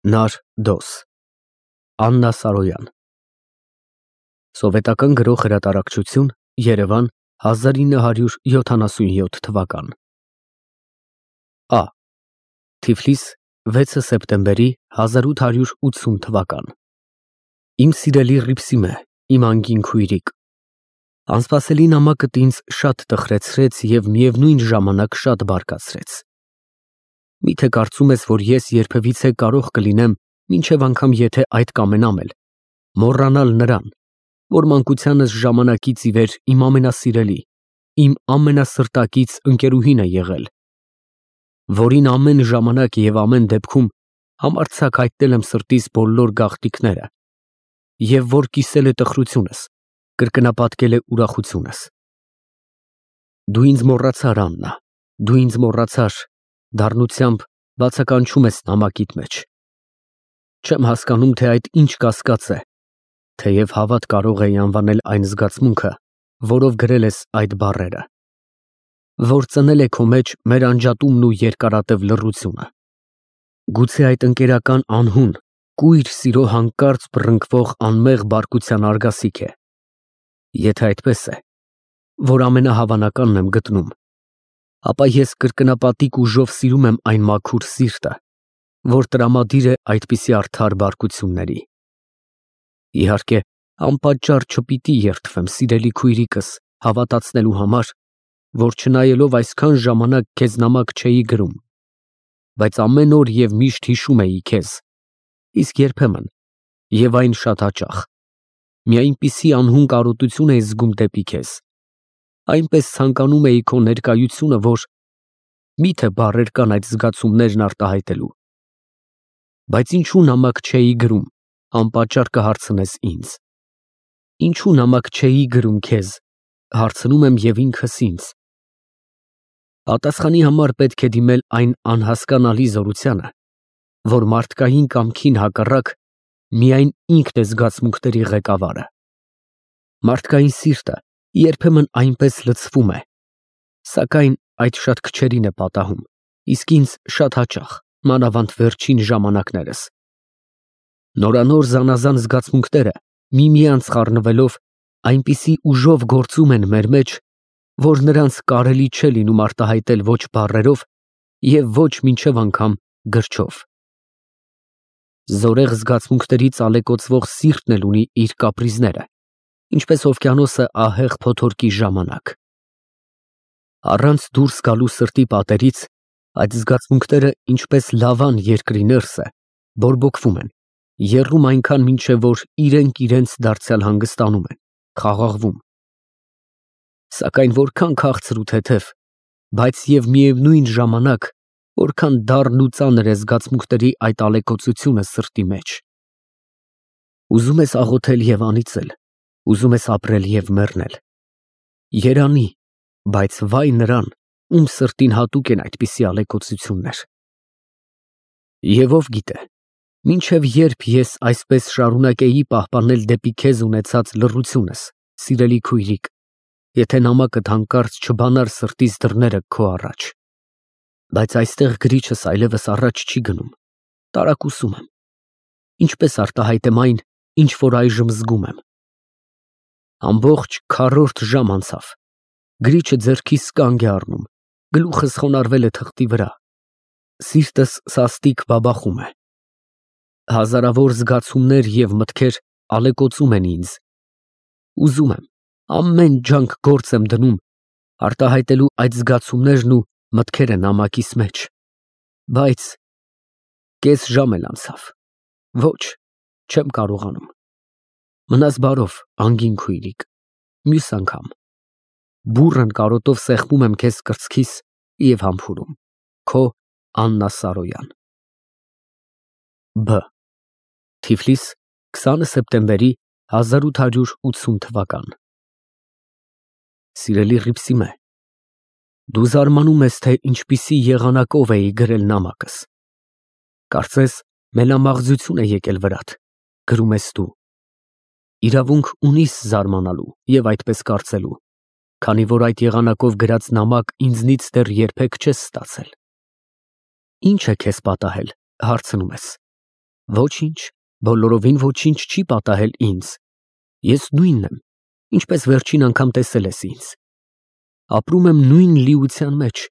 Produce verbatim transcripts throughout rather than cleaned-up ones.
Նար Դոս Աննա Սարոյան Սովետական գրող հրատարակչություն Երևան հազար ինը հարյուր յոթանասունյոթ թվական Ա Թիֆլիս վեցը սեպտեմբերի հազար ութ հարյուր ութսուն թվական Իմ սիրելի Ռիփսիմե, իմ անգին քույրիկ, անսպասելի նամակդ ինձ շատ տխրեցրեց և միևնույն ժամանակ շատ բարկացրեց։ Միթե կարծում ես, որ ես երբևիցե կարող կլինեմ, մինչև անգամ եթե այդ կամենամ էլ, մոռանալ նրան, որ մանկությանս ժամանակից ի վեր իմ ամենասիրելի, իմ ամենասրտակից ընկերուհին է եղել, որին ամեն ժամանակ և ամեն դեպքում համարձակ հայտնել եմ սրտիս բոլոր գաղտնիքները և որ կիսել է տխրությունս, կրկնապատկել է ուրախությունս։ Դու ինձ մոռացար, Աննա, դու ինձ մոռացար, դառնությամբ բացականչում ես նամակիդ մեջ։ Չեմ հասկանում, թե այդ ինչ կասկած է, թեև հավատ կարող էի անվանել այն զգացմունքը, որով գրել ես այդ բառերը, որ ծնել է քո մեջ մեր անջատումն ու երկարատև լռությունը։ Գուցե այդ ընկերական անհուն, կույր սիրո հանկարծ բռնկվող անմեղ բարկության արգասիկ է։ Եթե այդպես է, որ ամենահավանականն եմ գտնում, ապա ես կրկնապատիկ ուժով սիրում եմ այն մաքուր սիրտը, որ տրամադիր է այդպիսի արդար բարկությունների։ Իհարկե, անպատճառ չպիտի երդվեմ, սիրելի քույրիկս, հավատացնելու համար, որ չնայելով այսքան ժամանակ քեզ նամակ չէի գրում, բայց ամեն օր և միշտ հիշում էի քեզ, իսկ երբեմն, և այն շատ հաճախ, մի այնպիսի անհուն կարոտություն էի զգում դեպի քեզ, այնպես ցանկանում էի քո ներկայությունը, որ միթե բառեր կան այդ զգացումներն արտահայտելու։ Բայց ինչու նամակ չէի գրում, անպատճառ կհարցնես ինձ։ Ինչու նամակ չէի գրում քեզ, հարցնում եմ և ինքս ինձ։ Պատասխանի համար պետք է դիմել այն անհասկանալի զորությանը, որ մարդկային կամքին հակառակ միայն ինքն է զգացմունքների ղեկավարը։ Մարդկային սիրտը երբեմն այնպես լցվում է, սակայն այդ շատ քչերին է պատահում, իսկ ինձ շատ հաճախ, մանավանդ վերջին ժամանակներս։ Նորանոր զանազան զգացմունքները միմյանց խառնվելով այնպիսի ուժով գործում են մեր մեջ, որ նրանց կարելի չէ լինում արտահայտել ոչ բառերով և ոչ մինչև անգամ գրչով։ Զորեղ զգացմունքներից ալեկոծվող սիրտն էլ ունի իր կապրիզները, ինչպես օվկիանոսը ահեղ փոթորկի ժամանակ։ Առանց դուրս գալու սրտի պատերից այդ զգացմունքները, ինչպես լավան երկրի ներսը, բորբոքվում են, եռում այնքան, մինչև որ իրենք իրենց դարձյալ հանգստանում են, խաղաղվում։ Սակայն որքան քաղցր ու թեթև, բայց և միևնույն ժամանակ որքան դառն ու ծանր է զգացմունքների այդ ալեկոծությունը սրտի մեջ։ Ուզում ես աղոթել և անիծել, ուզում ես ապրել և մեռնել։ Երանի, բայց վայ նրան, ում սրտին հատուկ են այդպիսի ալեկոծություններ։ Եվ ով գիտե, մինչև երբ ես այսպես շարունակեի պահպանել դեպի քեզ ունեցած լռությունս, սիրելի քույրիկ, եթե նամակդ հանկարծ չբանար սրտիս դռները քո առաջ։ Բայց այստեղ գրիչս այլևս առաջ չի գնում, տարակուսում եմ, ինչպես արտահայտեմ այն, ինչ որ այժմ զգում եմ։ Ամբողջ քառորդ ժամ անցավ, գրիչը ձեռքիս կանգ է առնում, գլուխս խոնարհվել է թղթի վրա, սիրտս սաստիկ բաբախում է։ Հազարավոր զգացումներ և մտքեր ալեկոծում են ինձ։ Ուզում եմ, ամեն ջանք գործ եմ դնում արտահայտելու այդ զգացումներն ու մտքերը նամակիս մեջ, բայց կես ժամ էլ անցավ, ոչ, չեմ կարողանում։ Մնաս բարով, անգին քույրիկ, մյուս անգամ, բուռն կարոտով սեղմում եմ քեզ կրծքիս և համբուրում, քո Աննա Սարոյան։ Բ Թիֆլիս քսանը սեպտեմբերի հազար ութ հարյուր ութսուն թվական Սիրելի Ռիփսիմե, դու զարմանում ես, թե ինչպիսի եղանակով էի գրել նամակս։ Կարծես մելամաղձություն է եկել վրադ, գրում ես դու։ Իրավունք ունիս զարմանալու և այդպես կարծելու, քանի որ այդ եղանակով գրած նամակ ինձնից դեռ երբեք չես ստացել։ Ի՞նչ է քեզ պատահել, հարցնում ես։ Ոչինչ, բոլորովին ոչինչ չի պատահել ինձ։ Ես նույնն եմ, ինչպես վերջին անգամ տեսել ես ինձ։ Ապրում եմ նույն լիության մեջ։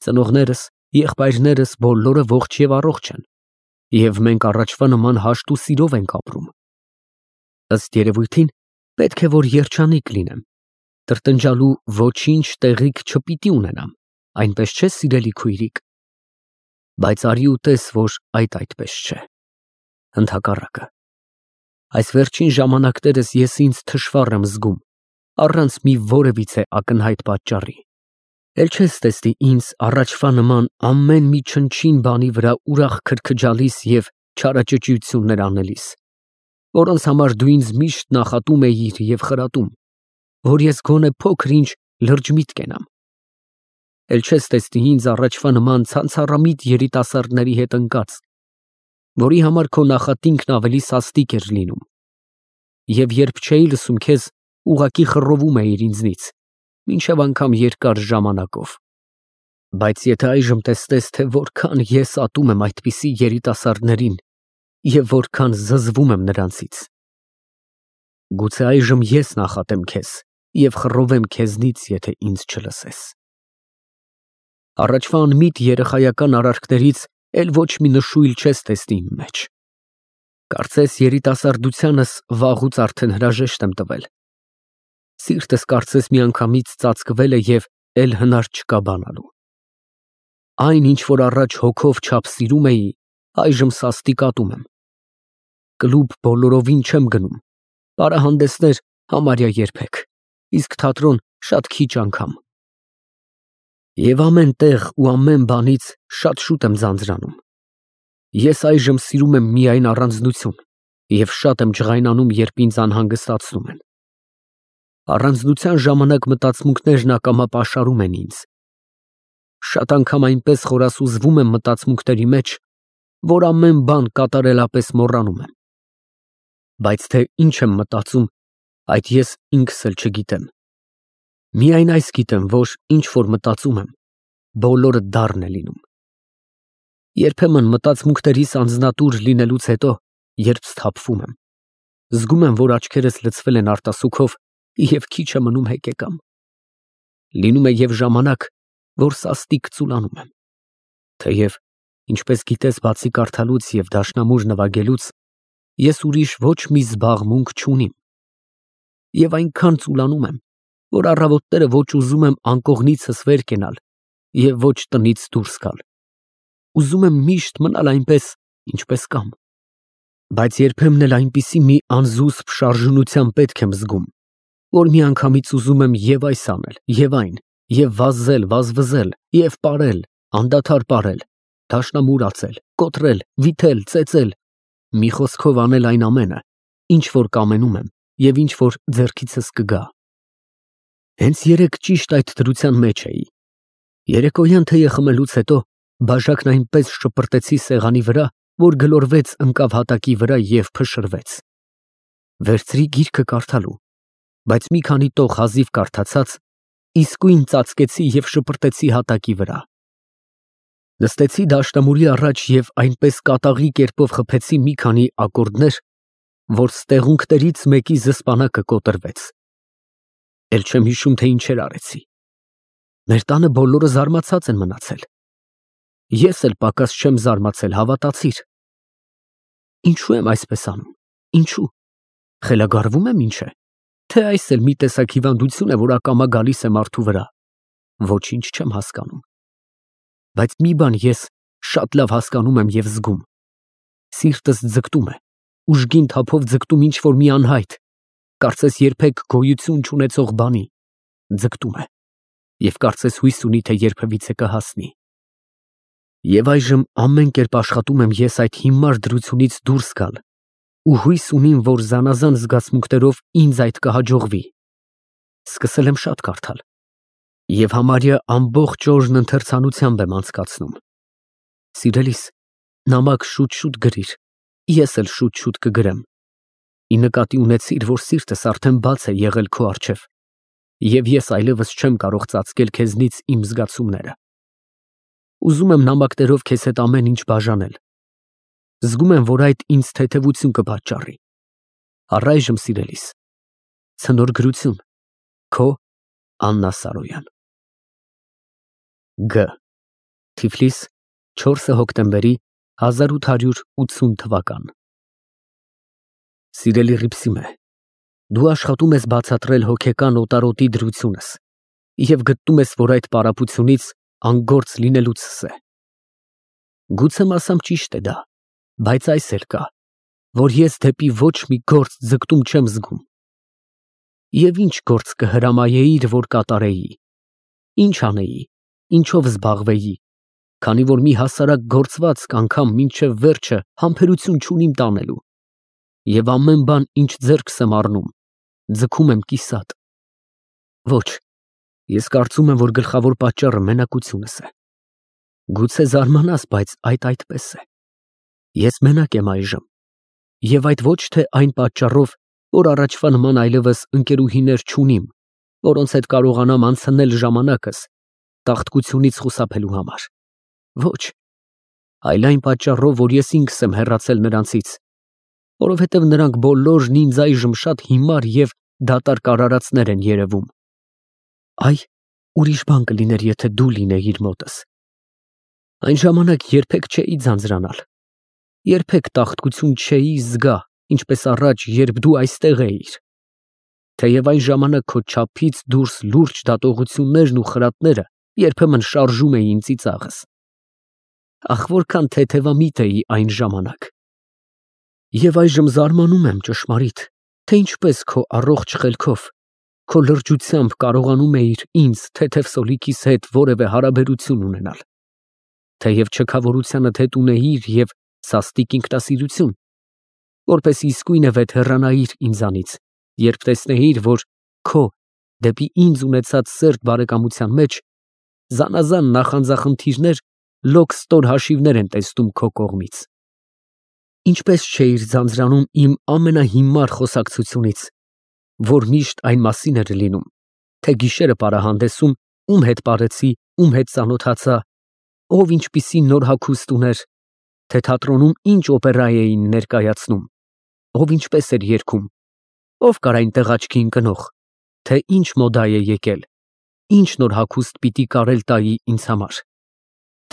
Ծնողներս, եղբայրներս բոլորը ողջ եւ առողջ են, եւ մենք առաջվա նման հաշտ ու սիրով ենք ապրում։ Ըստ երևույթին, պետք է որ երջանիկ լինեմ, տրտնջալու ոչինչ տեղիք չպիտի ունենամ, այնպես չէ, սիրելի քույրիկ։ Բայց արի ու տես, որ այդ այդպես չէ։ Ընդհակառակը, այս վերջին ժամանակներս ես ինձ թշվառ եմ զգում, առանց մի որևիցե ակնհայտ պատճառի։ Էլ չես տեսնի ինձ առաջվա նման ամեն մի չնչին բանի վրա ուրախ քրքջալիս եւ չարաճճիություններ անելիս, որոնց համար դու ինձ միշտ նախատում էիր եւ խրատում, որ ես գոնե փոքր-ինչ լրջմիտ կենամ։ Էլ չես տեսնի ինձ առաջվա նման ցանցառամիտ երիտասարդների հետ ընկած, որի համար քո նախատինքն ավելի սաստիկ էր լինում, եւ երբ չէի լսում քեզ, ուղղակի խռովում էիր ինձնից, մինչև անգամ երկար ժամանակով։ Բայց եթե այժմ տեսնես, թե որքան ես ատում եմ այդպիսի երիտասարդներին եւ որքան զզվում եմ նրանցից, գուցե այժմ ես նախատեմ քեզ եւ խռովեմ քեզնից, եթե ինձ չլսես։ Առաջվա անմիտ երեխայական արարքներից էլ ոչ մի նշույլ չես տեսնի իմ մեջ։ Կարծես երիտասարդությանս վաղուց արդեն հրաժեշտ եմ տվել։ Սիրտս կարծես միանգամից ծածկվել է եւ էլ հնար չկա բանալու։ Այն, ինչ որ առաջ հոգով չափ սիրում էի, այժմ սաստիկ ատում եմ։ Կլուբ բոլորովին չեմ գնում, պարահանդեսներ համարյա երբեք, իսկ թատրոն շատ քիչ անգամ։ Եվ ամեն տեղ ու ամեն բանից շատ շուտ եմ ձանձրանում։ Ես այժմ սիրում եմ միայն առանձնություն եւ շատ եմ ջղայնանում, երբ ինձ անհանգստացնում են։ Առանձնության ժամանակ մտածմունքներն ակամա պաշարում են ինձ։ Շատ անգամ այնպես խորասուզվում եմ մտածմունքների մեջ, որ ամեն բան կատարելապես մոռանում եմ։ Բայց թե ինչ եմ մտածում, այդ ես ինքս էլ չգիտեմ։ Միայն այս գիտեմ, որ ինչ որ մտածում եմ, բոլորը դառն է լինում։ Երբեմն մտածմունքներիս անձնատուր լինելուց հետո, երբ սթափվում եմ, զգում եմ, որ աչքերս լցվել են արտասուքով եւ քիչ է մնում հեկեկամ։ Լինում է եւ ժամանակ, որ սաստիկ ծուլանում եմ։ Թեև, ինչպես գիտես, բացի կարդալուց եւ դաշնամուր նվագելուց, ես ուրիշ ոչ մի զբաղմունք չունիմ։ Եվ այնքան ծուլանում եմ, որ առավոտները ոչ ուզում եմ անկողնիցս վեր կենալ եւ ոչ տնից դուրս գալ։ Ուզում եմ միշտ մնալ այնպես, ինչպես կամ։ Բայց երբեմն էլ այնպիսի մի անզուսպ շարժունության պետք եմ զգում, որ միանգամից ուզում եմ եւ այս անել, եւ այն, եւ վազել, վազվզել, եւ ապարել, անդադար ապարել, դաշնամուրացել, կոտրել, վիթել, ծեծել, մի խոսքով անել այն ամենը, ինչ որ կամենում եմ եւ ինչ որ ձեռքիցս կգա։ Հենց երեկ ճիշտ այդ դրության մեջ էի։ Երեկոյան թեյը խմելուց հետո բաժակն այնպես շպրտեցի սեղանի վրա, որ գլորվեց ընկավ հատակի վրա եւ փշրվեց։ Վերցրի գիրքը կարդալու, բայց մի քանի տող հազիվ կարդացած, իսկույն ծածկեցի եւ շպրտեցի հատակի վրա։ Նստեցի դաշնամուրի առաջ եւ այնպես կատաղի կերպով խփեցի մի քանի ակորդներ, որ ստեղունքներից մեկի զսպանակը կոտրվեց։ Էլ չեմ հիշում, թե ինչեր արեցի։ Մեր տանը բոլորը զարմացած են մնացել։ Ես էլ պակաս չեմ զարմացել, հավատացիր։ Ինչու եմ այսպես անում։ Ինչու։ Խելագարվում եմ ինչ է։ Թե այս էլ մի տեսակ հիվանդություն է, որ ակամա գալիս է մարդու վրա։ Ոչինչ չեմ հասկանում։ Բայց մի բան ես շատ լավ հասկանում եմ եւ զգում։ Սիրտս ձգտում է, ուժգին թափով ձգտում ինչ որ մի անհայտ, կարծես երբեք գոյություն չունեցող բանի, ձգտում է, եւ կարծես հույս ունի, թե երբևիցե կհասնի։ Եվ այժմ ամեն կերպ աշխատում եմ ես այդ հիմար դրությունից դուրս գալ, ու հույս ունիմ, որ զանազան զգացմունքներով ինձ այդ կհաջողվի։ Սկսել եմ շատ կարդալ, եւ համարյա ամբողջ օրն ընթերցանությամբ եմ անցկացնում։ Սիրելիս, նամակ շուտ-շուտ գրիր, ես էլ շուտ-շուտ կգրեմ։ Ի նկատի ունեցիր, որ սիրտս արդեն բաց է եղել քո առջև, եւ ես այլևս չեմ կարող ծածկել քեզնից իմ զգացումները։ Ուզում եմ նամակներով քեզ հետ ամեն ինչ բաժանել, Զգում եմ, որ այդ ինձ թեթևություն կպատճառի։ Առայժմ սիրելիս, ցնոր գրություն, քո Աննա Սարոյան։ Գ. Թիֆլիս, չորսը հոկտեմբերի հազար ութ հարյուր ութսուն թվական։ Սիրելի Ռիփսիմե, դու աշխատում ես բացատրել հոգեկան օտարոտի դրությունս և գտնում ես, որ այդ պարապությունից անգործ լինելուցս է։ Գուցե մասամբ ճիշտ է դա, բայց այս էլ կա, որ ես դեպի ոչ մի գործ ձգտում չեմ զգում։ Եվ ինչ գործ կհրամայեիր, որ կատարեի, ինչ անեի, ինչով զբաղվեի, քանի որ մի հասարակ գործվածք անգամ մինչև վերջը համբերություն չունիմ տանելու, և ամեն բան, ինչ ձեռքս եմ առնում, ձգում եմ կիսատ։ Ոչ, ես կարծում եմ, որ գլխավոր պատճառը մենակությունս է։ Գուցե զարմանաս, բայց այդ այդպես է։ Ես մենակ եմ այժմ, և այդ ոչ թե այն պատճառով, որ առաջվա նման այլևս ընկերուհիներ չունիմ, որոնց հետ կարողանամ անցնել ժամանակս տաղտկությունից խուսափելու համար։ Ոչ, այլ այն պատճառով, որ ես ինքս եմ հեռացել նրանցից, որովհետև նրանք բոլորն ինձ այժմ շատ հիմար և դատարկ արարածներ են երևում։ Այ, ուրիշ բան կլիներ, եթե դու լինեիր մոտս։ Այն ժամանակ երբեք չէի ձանձրանալ, երբեք տաղտկություն չէի զգա, ինչպես առաջ, երբ դու այստեղ էիր։ Թեև այն ժամանակ քո չափից դուրս լուրջ դատողություններն ու խրատները երբեմն շարժում էին ծիծաղս։ Ախ, որքան թեթևամիտ էի այն ժամանակ։ Եվ այժմ զարմանում եմ, ճշմարիտ, թե ինչպես քո առողջ խելքով, քո լրջությամբ կարողանում էիր ինձ թեթև սոլիքիս հետ որևէ հարաբերություն ունենալ։ Թեև չքավորությանդ հետ ունեիր և սաստիկ ինքնասիրություն, որպես իսկույնը վեթեռանայիր ինձանից, երբ տեսնեիր, որ քո դեպի ինձ ունեցած սերտ բարեկամության մեջ զանազան նախանձախնդիրներ լոկ ստոր հաշիվներ են տեսնում քո կողմից։ Ինչպես չէիր ձանձրանում իմ ամենահիմար խոսակցությունից, որ միշտ այն մասին էր լինում, թե գիշերը պարահանդեսում ում հետ պարեցի, ում հետ ծանոթացա, ով ինչպիսի նոր հագուստ ուներ, թե թատրոնում ինչ օպերա էին ներկայացնում, ով ինչպես էր երգում, ով կար այնտեղ աչքի ընկնող, թե ինչ մոդա է եկել, ինչ նոր հագուստ պիտի կարել տայի ինձ համար,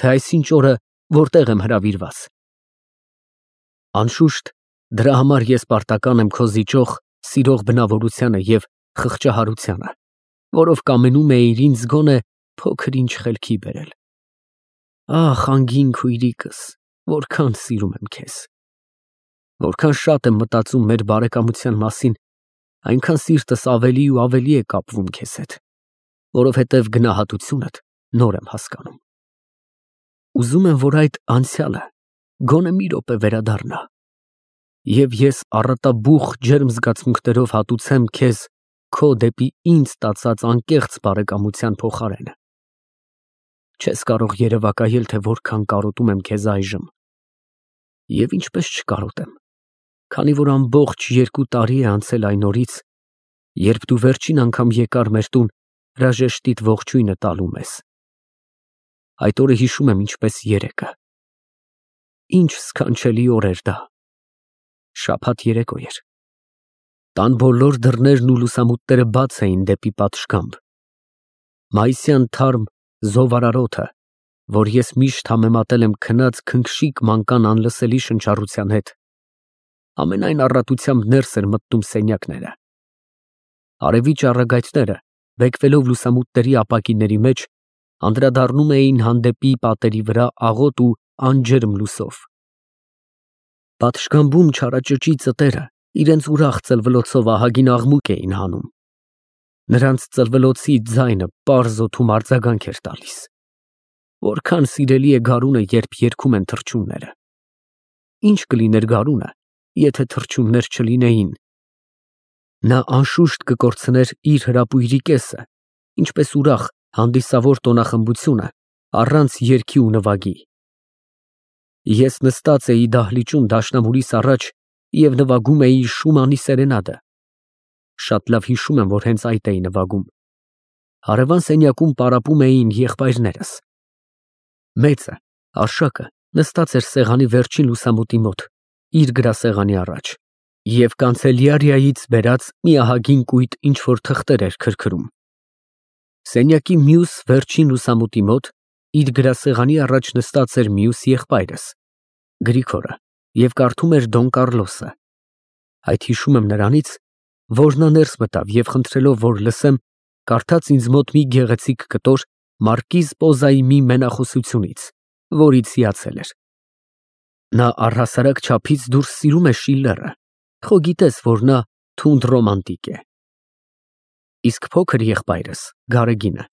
թե այսինչ օրը որտեղ եմ հրավիրված։ Անշուշտ, դրա համար ես պարտական եմ քո զիջող, սիրող բնավորությանը և խղճահարությանը, որով կամենում էիր ինձ գոնե փոքր-ինչ խելքի բերել։ Ախ, անգին քույրիկս, որքան սիրում եմ քեզ։ Որքան շատ եմ մտածում մեր բարեկամության մասին, այնքան սիրտս ավելի ու ավելի է կապվում քեզ հետ, որովհետև գնահատությունդ նոր եմ հասկանում։ Ուզում եմ, որ այդ անցյալը գոնե մի րոպե վերադառնա, և ես առատաբուխ ջերմ զգացմունքներով հատուցեմ քեզ քո դեպի ինձ տածած անկեղծ բարեկամության փոխարենը։ Չես կարող երևակայել, թե որքան կարոտում եմ քեզ այժմ, և ինչպես չկարոտեմ, քանի որ ամբողջ երկու տարի է անցել այն օրից, երբ դու վերջին անգամ եկար մեր տուն հրաժեշտիդ ողջույնը տալու մեզ։ Այդ օրը հիշում եմ ինչպես երեկը։ Ինչ սքանչելի օր էր դա։ Շաբաթ երեկո էր։ Տան բոլոր դռներն ու լուսամուտները բաց էին դեպի պատշգամբ։ Մայիսյան թարմ զովարարոթը, որ ես միշտ համեմատել եմ քնած քնքշիկ մանկան անլսելի շնչառության հետ, ամենայն առատությամբ ներս էր մտնում սենյակները։ Արևի ճառագայթները, բեկվելով լուսամուտների ապակիների մեջ, անդրադառնում էին հանդեպի պատերի վրա աղոտ ու անջերմ լուսով։ Պատշգամբում չարաճճի ծտերը իրենց ուրախ ծլվլոցով ահագին աղմուկ էին հանում։ Նրանց ծլվլոցի ձայնը պարզ օդում արձագանք էր տալիս։ Որքան սիրելի է գարունը, երբ երգում են թռչունները։ Ինչ կլիներ գարունը, եթե թռչուններ չլինեին։ Նա անշուշտ կկորցներ իր հրապույրի կեսը, ինչպես ուրախ, հանդիսավոր տոնախմբությունը առանց երգի ու նվագի։ Ես նստած էի դահլիճում դաշնամուրիս առաջ և նվագում էի Շումանի սերենադը։ Շատ լավ հիշում եմ, որ հենց այդ էի նվագում։ Հարևան սենյակում պարապում էին եղբայրներս։ Մեծը, Արշակը, նստած էր սեղանի վերջին լուսամուտի մոտ, իր գրասեղանի առաջ, և կանցելյարիայից բերած մի ահագին կույտ ինչ-որ թղթեր էր քրքրում։ Սենյակի մյուս վերջին լուսամուտի մոտ իր գրասեղանի առաջ նստած էր մյուս եղբայրս, Գրիգորը, և կարդում էր Դոն Կառլոսը։ Այդ հիշում եմ նրանից, որ նա ներս մտավ և խնդրելով, որ լսեմ, կարդաց ինձ մոտ մի գեղեցիկ կտոր Մարկիզ Պոզայի մի մենախոսությունից, որից հիացել էր։ Նա առհասարակ չափից դուրս սիրում է Շիլլերը, խո գիտես, որ նա թունդ ռոմանտիկ է։ Իսկ փոքր եղբայրս, Գարեգինը,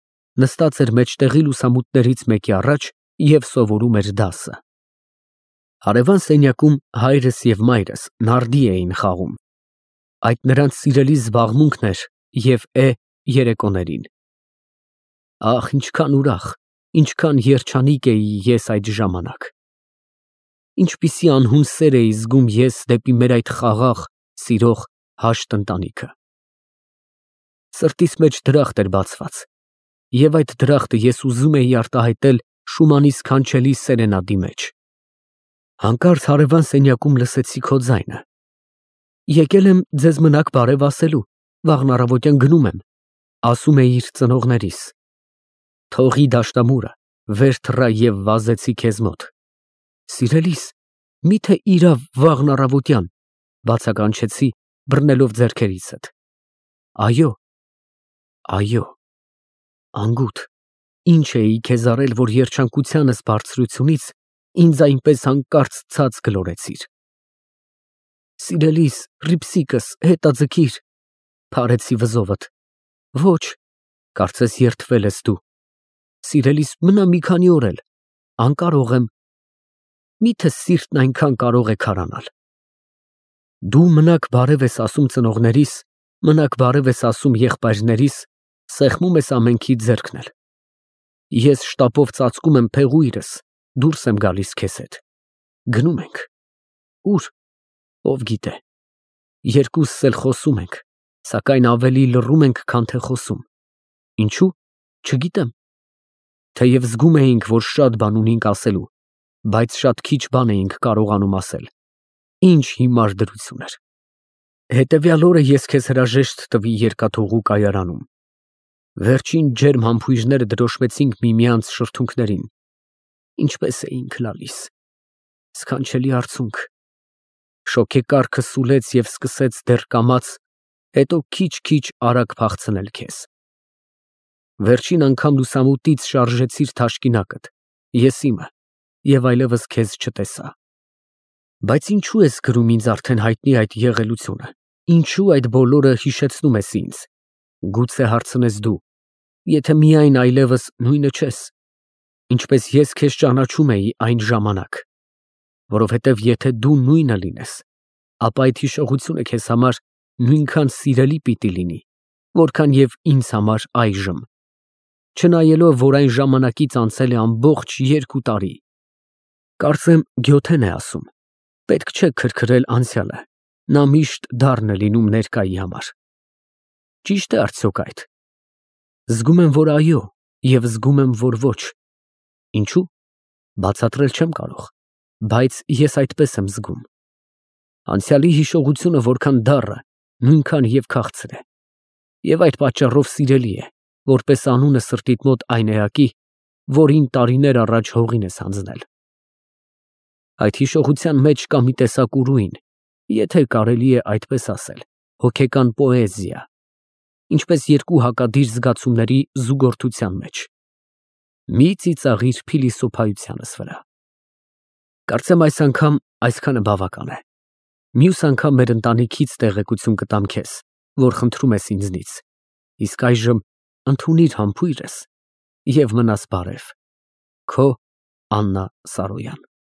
նստած էր մեջտեղի լուսամուտներից մեկի առաջ և սովորում էր դասը։ Հարևան սենյակում հայրս և մայրս նարդի էին խաղում։ Այդ նրանց սիրելի զբաղմունքն էր և է երեկոներին։ Ահ, ինչքան ուրախ, ինչքան երջանիկ էի ես այդ ժամանակ։ Ինչպիսի անհուն սեր էի զգում ես դեպի մեր այդ խաղաղ, սիրող, հաշտ ընտանիքը։ Սրտիս մեջ դրախտ էր բացված, և այդ դրախտը ես ուզում էի արտահայտել Շումանի սքանչելի սերենադի մեջ։ Հանկարծ հարևան սենյակում լսեցի քո ձայնը։ Եկել եմ ձեզ մնաք բարև ասելու, վաղն առավոտյան գնում եմ, ասում էիր ծնողներիս։ Թողի դաշնամուրը, վեր թռա և վազեցի քեզ մոտ։ Սիրելիս, միթե իրավ վաղն առավոտյան, բացականչեցի, բռնելով ձեռքերիցդ։ Այո, այո, անգութ, ինչ էի քեզ արել, որ երջանկությանս բարձրությունից ինձ այնպես հանկարծ ցած գլորեցիր։ Սիրելիս, ռիփսիկս, հետաձգիր, փարեցի վզովդ։ Ոչ, կարծես երդվել ես դու։ Սիրելիս, մնա մի քանի օր էլ, անկարող եմ։ Միթե սիրտն այնքան կարող է քարանալ։ Դու մնաք բարև ես ասում ծնողներիս, մնաք բարև ես ասում եղբայրներիս, սեղմում ես ամենքի ձեռքն էլ։ Ես շտապով ծածկում եմ փեղույրս, դուրս եմ գալիս քեզ հետ։ Գնում ենք։ Ո՞ւր, ով գիտե։ Երկուսս էլ խոսում ենք, սակայն ավելի լռում ենք, քան թե խոսում։ Ինչո՞ւ, չգիտեմ։ Թեև զգում էինք, որ շատ բան ունենք ասելու, բայց շատ քիչ բան էինք կարողանում ասել։ Ինչ հիմար դրություն էր։ Հետևյալ օրը ես քեզ հրաժեշտ տվի երկաթուղու կայարանում։ Վերջին ջերմ համբույրները դրոշմեցինք միմյանց շրթունքներին։ Ինչպես էինք լալիս։ Սքանչելի արցունք։ Շոգեկառքը սուլեց և սկսեց դեռ կամաց, հետո քիչ-քիչ արագ փախցնել քեզ։ Վերջին անգամ լուսամուտից շարժեցիր թաշկինակդ, ես իմը, և այլևս քեզ չտեսա։ Բայց ինչու ես գրում ինձ արդեն հայտնի այդ եղելությունը, ինչու այդ բոլորը հիշեցնում ես ինձ, գուցե հարցնես դու, եթե միայն այլևս նույնը չես, ինչպես ես քեզ ճանաչում էի այն ժամանակ, որովհետև եթե դու նույնը լինես, ապա այդ հիշողությունը քեզ համար նույնքան սիրելի պիտի լինի, որքան և ինձ համար այժմ, չնայելով, որ այն ժամանակից անցել է ամբողջ երկու տարի։ Կարծեմ Գյոթեն է ասում. պետք չէ քրքրել անցյալը, նա միշտ դառն է լինում ներկայի համար։ Ճի՞շտ է արդյոք այդ։ Զգում եմ, որ այո, և զգում եմ, որ ոչ։ Ինչու՞։ Բացատրել չեմ կարող, բայց ես այդպես եմ զգում։ Անցյալի հիշողությունը որքան դառը, նույնքան և քաղցր է։ Եվ այդ պատճառով սիրելի է, որպես անունը սրտիդ մոտ այն էակի, որին տարիներ առաջ հողին ես հանձնել։ Այդ հիշողության մեջ կա մի տեսակ ուրույն, եթե կարելի է այդպես ասել, հոգեկան պոեզիա, ինչպես երկու հակադիր զգացումների զուգորդության մեջ։ Մի ծիծաղիր փիլիսոփայությանս վրա։ Կարծեմ այս անգամ այսքանը բավական է։ Մյուս անգամ մեր ընտանիքից տեղեկություն կտամ քեզ, որ խնդրում ես ինձնից, իսկ այժմ ընդունիր համբույրս և մնաս բարև։ Քո Աննա Սարոյան։